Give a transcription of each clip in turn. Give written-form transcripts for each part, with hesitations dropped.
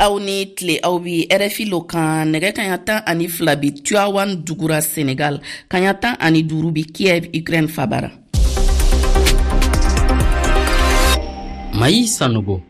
Aw ni tile. Aw bi RFI lo kan. Nɛgɛ kaɲa 12 bi Tivaouane dugura Senegal, kaɲa 15 bi Kiev, Ukraine fabara. Mayi Sanogo.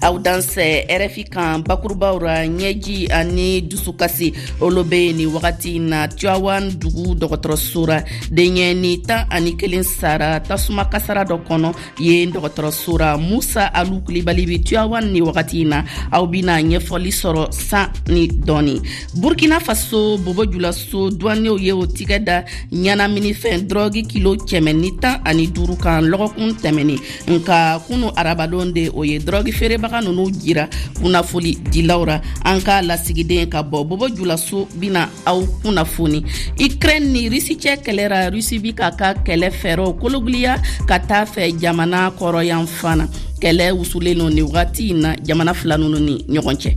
Aw dansɛ RFI kan. Bakurubaw ra, ɲɛji ani dusukasi olu be nin wagati na Tivaouane dugu dɔgɔtɔrɔso ra. Denyɛni 11 sara tasuma kasara dɔ kɔnɔ yen dɔgɔtɔrɔso ra. Musa Alu Kulibali bi Tivaouane ni wagati na, aw bina ɲɛfɔli sɔrɔ san ni dɔɔni. Burkina Faso, Bobo Julaso duwanew ye o tigɛ da ɲɛnaminifɛn dɔrɔgi kilo 115 kan lɔgɔkun tɛmɛni. Nka kunu arabadon de o ye dɔrɔgi feerebaga nunu jira kunnafoli dilaw ra. An ka lasigiden ka bɔ Bobo Julaso bina aw kunnafoni. Ukraine ni Rusi cɛ kɛlɛ ra, Rusi bi k'a ka kɛlɛ fɛɛrɛw kologiliya ka taa fɛ jamana kɔrɔyan fana. Kɛlɛ wusulen no nin wagati in na jamana fila nunu ni ɲɔgɔn cɛ.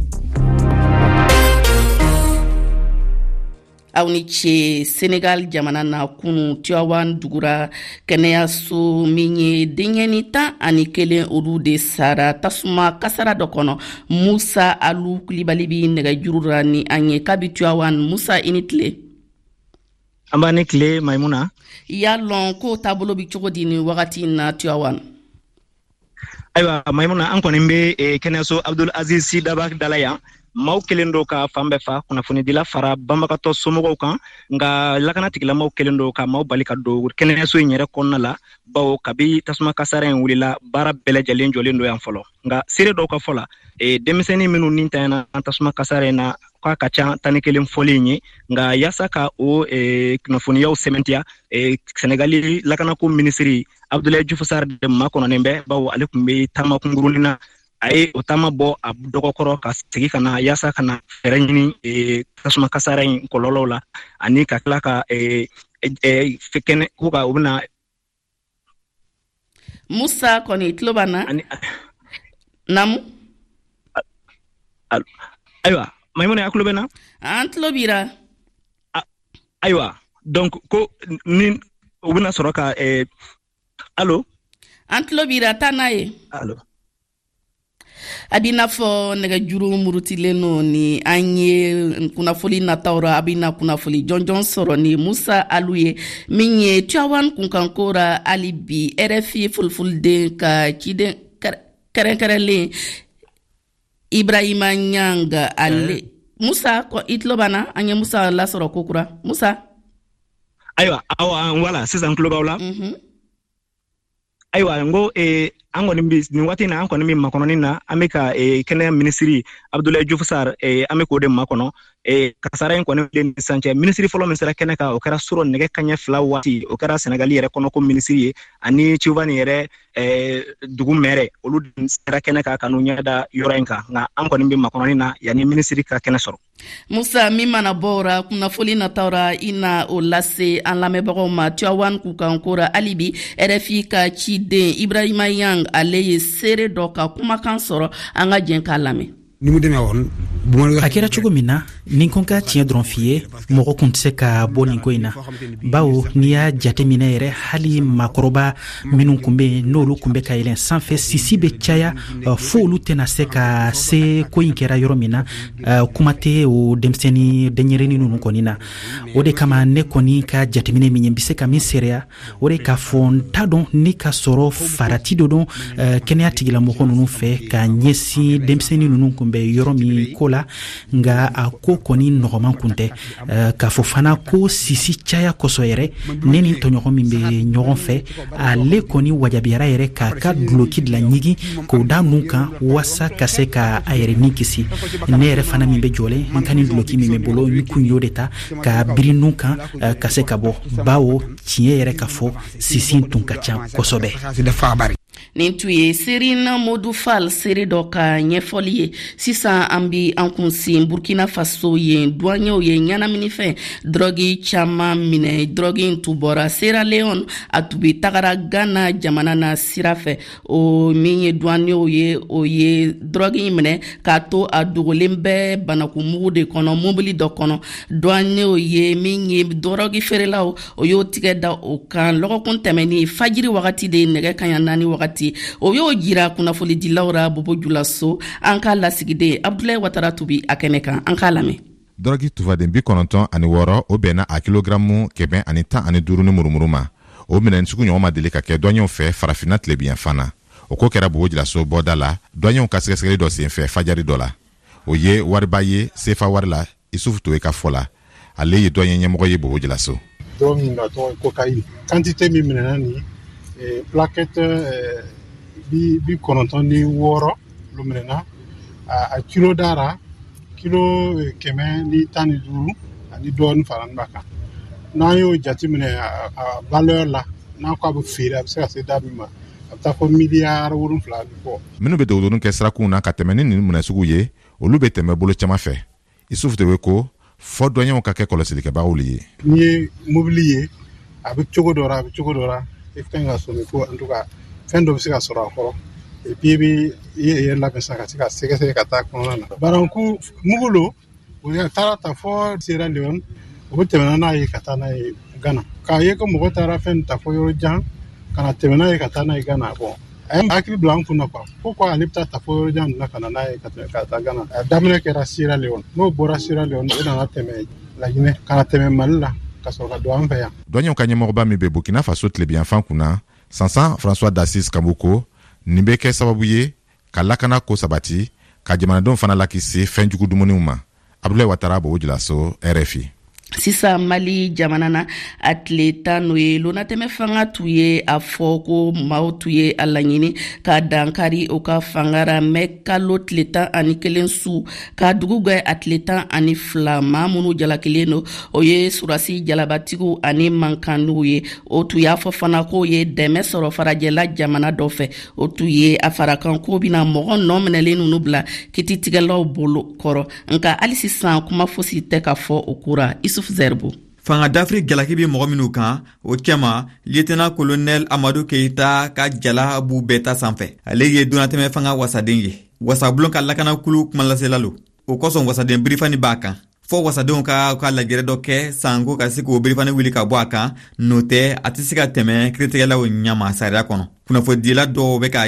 Aw ni ce. Senegal jamana na, kunu Tivaouane dugura kɛnɛyaso min ye, denyɛni 11 olu de sara tasuma kasara dɔ kɔnɔ. Musa Alu Kulibali bi nɛgɛjuru ra ni an ye kabi Tivaouane. Musa, i ni tile. An b'a ni tile, Maimuna. I y'a lɔn ko taabolo bi cogo di ni wagati na Tivaouane? Ayiwa Maimuna, an kɔni bɛ kɛnɛyaso Abdul Aziz Sy Dabakh dala yan. Maaw kelen don ka fan bɛɛ fa, kunnafonidila fara banbagatɔ somɔgɔw kan, nka lakana tigilamaw kelen don ka maaw bali ka don kɛnɛyaso in yɛrɛ kɔnɔna la, bawo kabi tasuma kasara in wulila, baara bɛɛ lajɛlen jɔlen don yan fɔlɔ. Nka seere dɔw ka fɔ la, denmisɛnnin minnu ni tanyana tasuma kasara in na, k'a ka ca 11 fɔlen ye. Nka yaasa ka o kunnafoniyaw sɛmɛntiya, Senegali lakanako minisiri Abdoulaye Diouf Sarr de makɔnɔnen bɛ, bawo ale tun bɛ taama kunkurunin na. A ye o taama bɔ a dɔgɔkɔrɔ ka segin ka na yaasa ka na fɛɛrɛ ɲini tasuma kasara in kɔlɔlɔw la, ani ka tila ka kɛnɛ ko ka u bɛna. Musa kɔni tulo b'an na namu. Ayiwa Maimuna, a tulo bɛ na? An tulo b'i ra. Ayiwa, donc ko ni u bɛna sɔrɔ ka allo? An tulo b'i ra, taa n'a ye. Allo? A b'i n'a fɔ nɛgɛjuru murutilen no ni an ye. Kunnafoli nataw ra, a bɛna kunnafoli jɔnjɔn sɔrɔ ni Musa Alu ye min ye Tivaouane kunkanko ra. Hali bi, RFI fulfulden ka ciden kɛrɛnkɛrɛnlen Ibrahima Ɲanga ale. Musa, i tulo b'an na? An ye Musa lasɔrɔ kokura. Musa? Ayiwa, awa, wala sisan tulo b'aw la. Ayiwa, n ko an kɔni bi nin waati in na, an kɔni bɛ makɔnɔni na. An bɛ ka kɛnɛya minisiri Abdoulaye Diouf Sarr, an bɛ k'o de makɔnɔ. Kasara in kɔni ni sisan cɛ, minisiri fɔlɔ min sera kɛnɛ kan, o kɛra surɔ nɛgɛ kaɲɛ 2 waati. O kɛra Senegali yɛrɛ kɔnɔko minisiri ye ani Tivaouane yɛrɛ dugu mɛrɛ. Olu sera kɛnɛ kan ka n'u ɲɛ da yɔrɔ in kan. Nka an kɔni bɛ makɔnɔni na yanni minisiri ka kɛnɛ sɔrɔ. Musa, min mana bɔ o ra kunnafoli nataw ra, i na o lase an lamɛnbagaw ma Tivaouane kunkanko ra. Hali bi, RFI ka ciden Ibrahima Yang, ale ye seere dɔ ka kumakan sɔrɔ. An ka jɛn k'a lamɛn. A kɛra cogo min na, ni ko ka tiɲɛ dɔrɔn f'i ye, mɔgɔ kun tɛ se ka bɔ nin ko in na, bawo n'i y'a jate minɛ yɛrɛ, hali maakɔrɔba minnu kun bɛ yen, n'olu kun bɛ ka yɛlɛn sanfɛ, sisi bɛ caya fo olu tɛna se ka se ko in kɛra yɔrɔ min na, kuma tɛ o denmisɛnnin denyɛrɛnin ninnu kɔni na. O de kama, ne kɔni ka jateminɛ min ye, n bɛ se ka min seereya, o de k'a fɔ n t'a dɔn ni ka sɔrɔ farati dɔ don kɛnɛya tigilamɔgɔ ninnu fɛ ka ɲɛsin denmisɛnnin ninnu kun bɛ yɔrɔ min ko la. Nka a ko kɔni nɔgɔman kun tɛ. K'a fɔ fana ko sisi caya kosɔn yɛrɛ, ne ni tɔɲɔgɔn min bɛ ɲɔgɔn fɛ, ale kɔni wajabiyara yɛrɛ k'a ka duloki de laɲigin k'o da nun kan waasa ka se ka a yɛrɛ ni kisi. Ne yɛrɛ fana min bɛ jɔlen, n ka nin duloki min bɛ bolo, n kun y'o de ta ka biri nun kan ka se ka bɔ, bawo tiɲɛ yɛrɛ ka fɔ, sisi tun ka ca kosɛbɛ. Nin tun ye Serina Modu Fall, seere dɔ ka ɲɛfɔli ye. Sisan, an bi an kunsin Burkina Faso. Yen duwanyew ye ɲɛnaminifɛn dɔrɔgi caman minɛ. Dɔrɔgi in tun bɔra Sierra Leone, a tun bi tagara Ghana jamana na sira fɛ. O min ye duwanyew ye, o ye dɔrɔgi in minɛ k'a to a dogolen bɛ banakumugu de kɔnɔ mobili dɔ kɔnɔ. Duwanyew ye min ye dɔrɔgi feerelaw, o y'o tigɛ da o kan lɔgɔkun tɛmɛni fajiri wagati de, nɛgɛ kaɲa 4 wagati. sabati. O y'o jira kunnafonidilaw ra Bobo Julaso. An ka lasigiden Abdulayi Watara tun bi a kɛnɛ kan, an k'a lamɛn. Dɔrɔgi tufaden 96, o bɛnna a kilogaramu 115 ni murumuru ma. O minɛn sugu ɲɔgɔn ma deli ka kɛ dɔnɲɛw fɛ Farafinna tilebiyanfan na. O ko kɛra Bobo Julaso bɔda la, dɔnɲɛw ka sɛgɛsɛgɛli dɔ senfɛ fajari dɔ la. O ye wariba ye sefa wari la. Isufu Towe ka fɔ la, ale ye dɔnɲɛ ɲɛmɔgɔ ye Bobo Julaso. Drogue min a tɔgɔ ye cocaïne, quantité min minɛna nin, plaquette 96 olu minɛna. A kilo dara kilo 115 ani dɔɔni farani b'a kan. N'an y'o jateminɛ a valeur la, n'a ko a bɛ feere, a bɛ se ka se da min ma, a bɛ taa fɔ miliyari 7 ni kɔ. Minnu bɛ dogodogoni kɛ sirakunw na ka tɛmɛ ni nin minɛn sugu ye, olu bɛ tɛmɛ bolo caman fɛ. Isufu Towe ko fɔ dɔnɲɛw ka kɛ kɔlɔsilikɛbagaw le ye. N'i ye mobili ye, a bɛ cogo dɔ la, a bɛ cogo dɔ la, i ka ɲi ka sɔmi ko en tout cas fɛn dɔ bɛ se ka sɔrɔ a kɔrɔ. Et puis i bɛ i yɛrɛ labɛn sa ka se ka sɛgɛsɛgɛ ka taa kɔnɔna na. Baranku mugu lo, o taara ta fɔ Sierra Leone, o bɛ tɛmɛ n'a ye ka taa n'a ye Ghana. K'a ye ko mɔgɔ taara fɛn ta fɔ yɔrɔ jan ka na tɛmɛ n'a ye ka taa n'a ye Ghana. Bon, a ye hakili bila an kun na quoi, pourquoi ale bɛ taa ta fɔ yɔrɔ jan na ka na n'a ye ka tɛmɛ ka taa Ghana. A daminɛ kɛra Sierra Leone, n'o bɔra Sierra Leone, o nana tɛmɛ Laginɛ ka na tɛmɛ Mali la ka sɔrɔ ka don an fɛ yan. Dɔnɲɛw ka ɲɛmɔgɔba min bɛ Burkina Faso tilebiyanfan kunna, Sansan François d'Assis Kambu, ko nin bɛ kɛ sababu ye ka lakana ko sabati, ka jamanadenw fana lakisi fɛn jugu dumuniw ma. Abdulayi Watara, Bobo Julaso, RFI. Sisan Mali jamana na, a tile 10, n'o ye lonatɛmɛ fanga tun ye a fɔ ko maaw tun ye a laɲini ka dankari o ka fanga ra mɛ kalo tile 11 su ka dugu gwɛ a tile 12. Maa minnu jalakilen don, o ye surasi jalabatigiw ani mankanniw ye. O tun y'a fɔ fana k'o ye dɛmɛ sɔrɔ farajɛla jamana dɔ fɛ. O tun ye a farakan ko bɛna mɔgɔ nɔ minɛlen ninnu bila kititigɛlaw bolo kɔrɔ, nka hali sisan kuma fosi tɛ ka fɔ o ko ra. Isuf Zɛribo. Fanga dafiri jalaki bɛ mɔgɔ minnu kan, o cɛma lieutenant colonel Amadu Keyita ka jala b'u bɛɛ ta sanfɛ. Ale ye donnatɛmɛ fanga wasaden ye, wasabulon ka lakanakulu kumalasela lo. O kosɔn wasaden birifani b'a kan, fɔɔ wasadenw ka lajɛrɛ dɔ kɛ sanko ka se k'o birifani wuli ka bɔ a kan. N'o tɛ, a tɛ se ka tɛmɛ kiritigɛlaw ɲama sariya kɔnɔ. Kunnafonidila dɔw bɛ k'a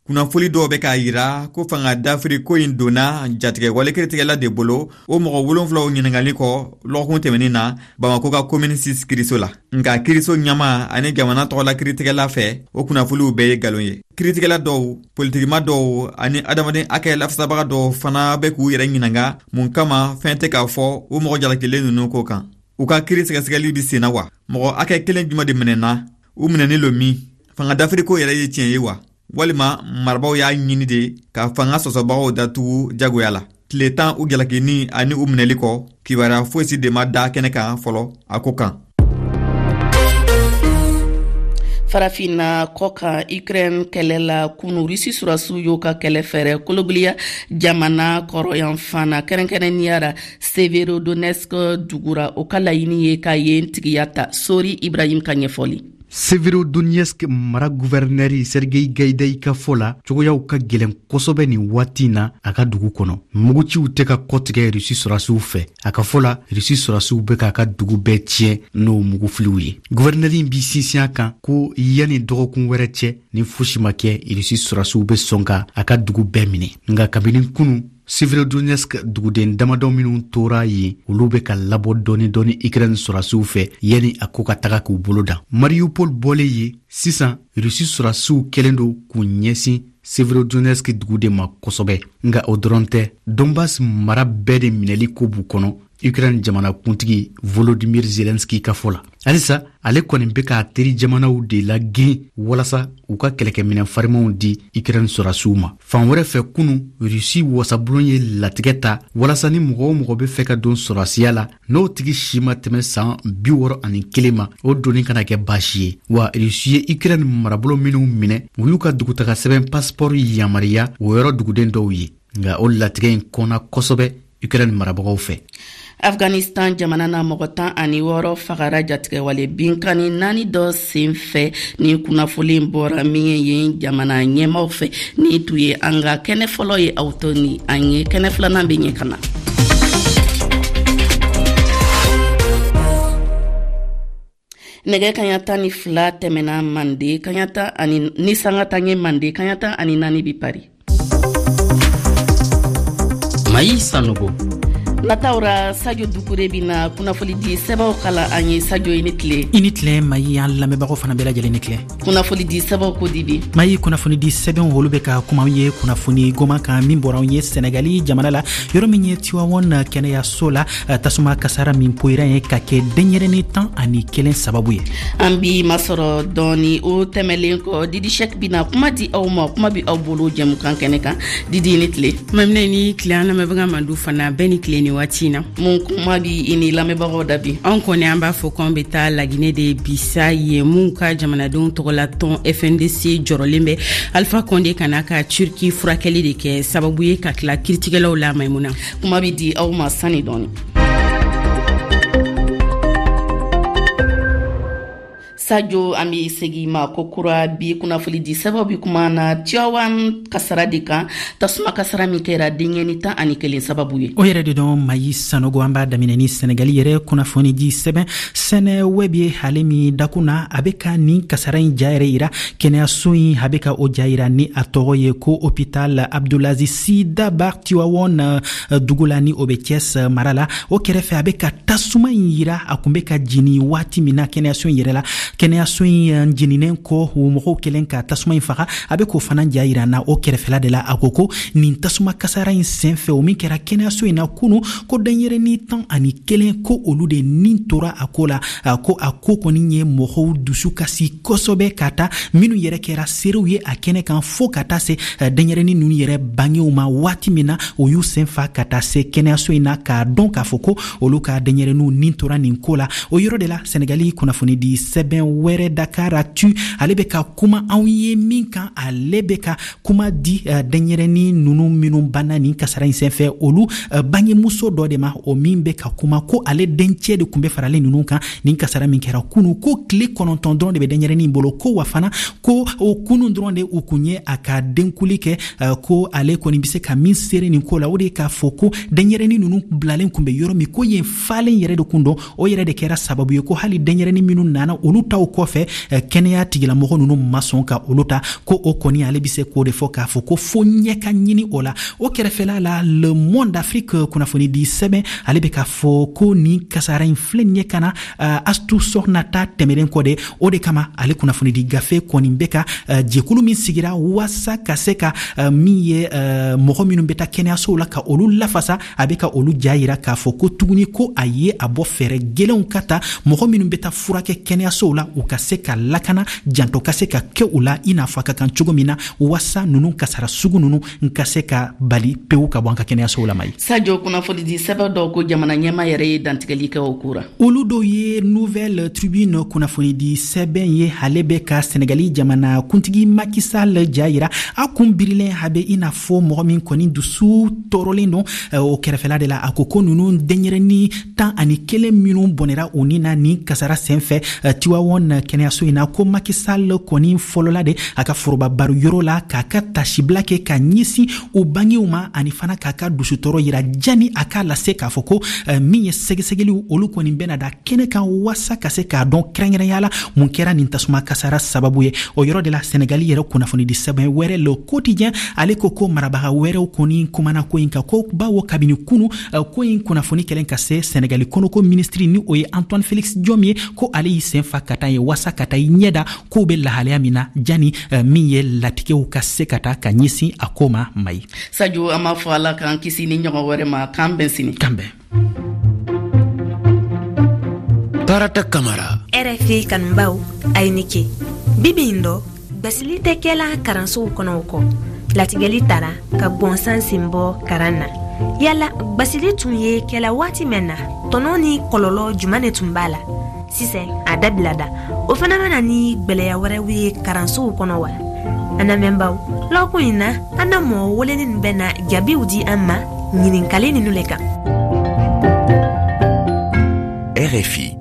kunnafoli dɔw bɛ k'a yira ko fanga dafiri ko in donna jatigɛwale kiritigɛla de bolo, o mɔgɔ wolonfulaw ɲiningali kɔ lɔgɔkun tɛmɛnin na Bamako ka Commune 6 kiriso la. Nka kiriso ɲama ani jamana tɔgɔla kiritigɛla fɛ, o kunnafoliw bɛɛ ye nkalon ye. Kiritigɛla dɔw, politikima dɔw ani adamaden hakɛ lafasabaga dɔw fana bɛ k'u yɛrɛ ɲininka mun kama fɛn tɛ k'a fɔ o mɔgɔ jalakilen ninnu ko kan. U ka kiri sɛgɛsɛgɛli bɛ senna wa? Mɔgɔ hakɛ kelen jumɛn de minɛna? U minɛni lo min? Fanga dafiri ko yɛrɛ ye tiɲɛ ye wa, walima marabaw y'a ɲini de ka fanga sɔsɔbagaw datugu jagoya la? Tile 10 u jalakini ani u minɛli kɔ, kibaruya fosi de ma da kɛnɛ kan fɔlɔ a ko kan. Farafinna kɔ kan, Ukraine kɛlɛ la, kunu Rusi surasiw y'o ka kɛlɛ fɛɛrɛ kologiliya jamana kɔrɔyanfan na, kɛrɛnkɛrɛnniya ra Severodonetsk dugura. O ka laɲini ye ka yen tigiya ta. Sori Ibrahim ka ɲɛfɔli. Severodonetsk mara guvɛrnɛri Sergei Gaidai ka fɔ la, cogoyaw ka gwɛlɛn kosɛbɛ nin waati na a ka dugu kɔnɔ. Muguciw tɛ ka kɔtigɛ Rusi sɔrasiw fɛ. A ka fɔ la, Rusi sɔrasiw bɛ k'a ka dugu bɛɛ tiɲɛ n'o mugufiliw ye. Guvɛrnɛri b'i sinsin a kan ko yanni dɔgɔkun wɛrɛ cɛ, ni fosi ma kɛ, Rusi sɔrasiw bɛ sɔn ka a ka dugu bɛɛ minɛ. Nka kabini kunu, Severodonetsk duguden damadɔ minw tora yen, olu bɛ ka labɔ dɔɔni dɔɔni Ukraine sɔrasiw fɛ yanni a ko ka taga k'u bolo dan. Mariupol bɔlen ye sisan, Rusi sɔrasiw kɛlen don k'u ɲɛsin Severodonetsk dugu de ma kosɛbɛ. Nka o dɔrɔn tɛ, Donbas mara bɛɛ de minɛli ko b'u kɔnɔ. Ukraine jamanakuntigi Volodymyr Zelensky ka fɔ la, halisa ale kɔni bɛ k'a teri jamanaw de lagirin walasa u ka kɛlɛkɛminɛn farimanw di Ukraine sɔrasiw ma. Fan wɛrɛ fɛ, kunu Rusi wasabulon ye latigɛ ta walasa ni mɔgɔ o mɔgɔ bɛ fɛ ka don sɔrasiya la, n'o tigi si ma tɛmɛ san 61 ma, o donni kana kɛ baasi ye. Wa Rusi ye Ukraine marabolo minw minɛ, u y'u ka dugutaga sɛbɛn passeport yamariya o yɔrɔ duguden dɔw ye. Nka o latigɛ in kɔnna kosɛbɛ Ukraine marabagaw fɛ. Afghanistan jamana na, mɔgɔ 16 fagara jatigɛwale binkani naani dɔ sen fɛ, ni kunnafoli bɔra min ye yen jamana ɲɛmaw fɛ. Ni tun ye an ka kɛnɛ fɔlɔ ye, aw to ni an ye, kɛnɛ filanan bɛ ɲɛ ka na. Nɛgɛ kaɲa 12 tɛmɛna Mande, kaɲa tan ani ni sanga tan ye Mande, kaɲa 14 bi Paris. Mayi Sanogo. Nataw ra, Sadio Dukure bina kunnafoni di sɛbɛw kalan an ye. Sadio, i ni tile. I ni tile Mayi, an lamɛnbagaw fana bɛɛ lajɛlen ni tile. Kunnafoni di sɛbɛw ko di bi? Mayi, kunnafoni di sɛbɛnw, olu bɛ ka kuma ye kunnafoni goman kan min bɔra anw ye Sɛnɛgali jamana la, yɔrɔ min ye Tiwawɔn kɛnɛyaso la, tasuma kasara min poyira ye ka kɛ denyɛrɛni 11 sababu ye. An bi masɔrɔ dɔɔni. O tɛmɛlen kɔ, Didi Sɛk bina kuma di aw ma, kuma bi aw bolo jɛmukan kɛnɛ kan. Didi, ni tile. Maminɛ, ni tile. An lamɛnbaga mandu fana bɛɛ ni tile ni waati na. Mun kuma bi i ni lamɛnbagaw da bi? Anw kɔni, an b'a fɔ k'an bɛ taa Laginɛ de bisa ye, mun ka jamanadenw tɔgɔla tɔn FNDC jɔrɔlen bɛ Alpha Condé kana ka Turki furakɛli de kɛ sababu ye ka tila kiritigɛlaw la. Maimuna. Kuma bi di aw ma sani dɔɔni. Sajo, an be segi ma ko kura. Bi kunnafoni di sɛbɛw bi kuma na Tiyawan kasara de kan, tasuma kasara min kɛra denyɛni 11 sababu ye. O yɛrɛ de dɔn, Mayi Sanogo. An b'a daminɛ ni Sɛnɛgali yɛrɛ kunnafoni di sɛbɛn Seneweb ye, ale min dakun na a bɛ ka nin kasara in ja yɛrɛ yira. Kɛnɛyaso in, a bɛ ka o ja yira ni a tɔgɔ ye ko Hôpital Abdoulaziz Sy Dabakh, Tiwawɔn dugu la, ni o bɛ Thiès mara la. O kɛrɛfɛ, a bɛ ka tasuma in yira, a kun bɛ ka jini waati min na kɛnɛyaso in yɛrɛ la. Kɛnɛyaso in jeninen kɔ, o mɔgɔw kɛlen ka tasuma in faga, a bɛ k'o fana ja yira na o kɛrɛfɛla de la. A ko ko nin tasuma kasara in senfɛ, o min kɛra kɛnɛyaso in na kunu, ko denyɛrɛni 11, ko olu de nin tora a ko la. Ko a ko kɔni ye mɔgɔw dusu kasi kosɛbɛ, ka taa minnu yɛrɛ kɛra seerew ye a kɛnɛ kan, fo ka taa se denyɛrɛni ninnu yɛrɛ bangew ma, waati min na o y'u sen fa ka taa se kɛnɛyaso in na k'a dɔn k'a fɔ ko olu ka denyɛrɛniw nin tora nin ko la. O yɔrɔ de la, Sɛnɛgali kunnafoni di sɛbɛn wɛrɛ, Dakaractu, ale bɛ ka kuma anw ye min kan, ale bɛ ka kuma di denyɛrɛni ninnu minnu banna nin kasara in senfɛ, olu bangemuso dɔ de ma, o min bɛ ka kuma ko ale dencɛ de tun bɛ faralen ninnu kan nin kasara min kɛra kunu. Ko tile 9 dɔrɔn de bɛ denyɛrɛnin bolo, ko wa fana ko o kunu dɔrɔn de u kun ye a ka denkuli kɛ. Ko ale kɔni bɛ se ka min seere nin ko la, o de ye k'a fɔ ko denyɛrɛnin ninnu bilalen kun bɛ yɔrɔ min, ko yen falen yɛrɛ de kun don. O yɛrɛ de kɛra sababu ye ko hali denyɛrɛnin minnu nana olu taw kɔfɛ, kɛnɛya tigilamɔgɔ ninnu ma sɔn ka olu ta. Ko o kɔni, ale bɛ se k'o de fɔ k'a fɔ ko fo ɲɛ ka ɲini o la. O kɛrɛfɛla la, Le Monde Afrique kunnafoni di sɛbɛn, ale bɛ k'a fɔ ko nin kasara in filɛ ɲɛ ka na Astu Soxna ta tɛmɛnen kɔ de. O de kama, ale kunnafoni di gafe kɔni bɛ ka jɛkulu min sigira waasa ka se ka min ye mɔgɔ minnu bɛ taa kɛnɛyasow la ka olu lafasa, a bɛ ka olu ja yira k'a fɔ ko tuguni ko a ye a bɔ fɛɛrɛ gɛlɛnw ka ta, mɔgɔ minnu bɛ taa furakɛ kɛnɛyasow la, u ka se ka lakana, janto ka se ka kɛ u la i n'a fɔ a ka kan cogo min na, waasa ninnu kasara sugu ninnu n ka se ka bali pewu ka bɔ an ka kɛnɛyasow la. Mayi. Sajo, kunnafoni di sɛbɛn dɔw ko jamana ɲɛma yɛrɛ ye dantigɛli kɛ o ko ra. Olu dɔw ye Nouvelle Tribune kunnafoni di sɛbɛn ye, ale bɛ ka Sɛnɛgali jamana kuntigi Macky Sall ja yira, a kun birilen, a bɛ i n'a fɔ mɔgɔ min kɔni dusu tɔɔrɔlen don. O kɛrɛfɛla de la, a ko ko ninnu denyɛrɛni 11 minnu bɔnɛra u ni na nin kasara senfɛ Tiwawɔn kɛnɛyaso in na, ko Macky Sall kɔni fɔlɔla de a ka foroba baro yɔrɔ la k'a ka tasibila kɛ ka ɲɛsin u bangew ma, ani fana k'a ka dusutɔɔrɔ yira, jani a k'a lase k'a fɔ ko min ye sɛgɛsɛgɛliw, olu kɔni bɛna da kɛnɛ kan waasa ka se k'a dɔn kɛrɛnkɛrɛnya la mun kɛra nin tasuma kasara sababu ye. O yɔrɔ de la, Sɛnɛgali yɛrɛ kunnafonidi sɛbɛn wɛrɛ, Le Quotidien, ale ko ko marabaga wɛrɛw kɔni kumana ko in kan, ko bawo kabini kunu ko in kunnafoni kɛlen ka se Sɛnɛgali kɔnɔko minisiri, ni o ye Antoine Félix Diome ye, ko ale y'i sen fa ka taa ye waasa ka taa i ɲɛ da kow bɛ lahalaya min na, jani min ye latigɛw ka se ka taa ka ɲɛsin a ko ma. Mayi. Sajo, an b'a fɔ Ala k'an kisi ni ɲɔgɔn wɛrɛ ma. K'an bɛn sini. K'an bɛn. Tarata Kamara. RFI kanubaw, a ye ni ce. Bibi in dɔ, gbasili tɛ kɛla karansow kɔnɔ. O kɔ, latigɛli tara ka gwɔnsan sen bɔ karan na. Yala gbasili tun ye kɛla waati mɛn na, tɔnɔ ni kɔlɔlɔ juman ne tun b'a la? Sisan a dabila da, o fana bɛna ni gwɛlɛya wɛrɛw ye karansow kɔnɔ wa? An lamɛnbaw, lɔkun in na, an na mɔgɔ welenin bɛna jaabiw di an ma ɲininkali ninu le kan. RFI.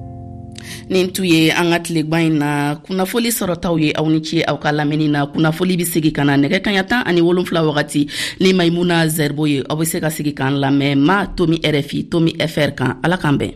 Nin tun ye an ka tilegban in na kunnafoli sɔrɔtaw ye. Aw ni ce aw ka lamɛnni na. Kunnafoli bɛ segi ka na nɛgɛ kaɲa 17 wagati ni Maimuna Zɛribo ye. Aw bɛ se ka segi k'an lamɛn ma tomi RFI tomi fr kan. Ala k'an bɛn.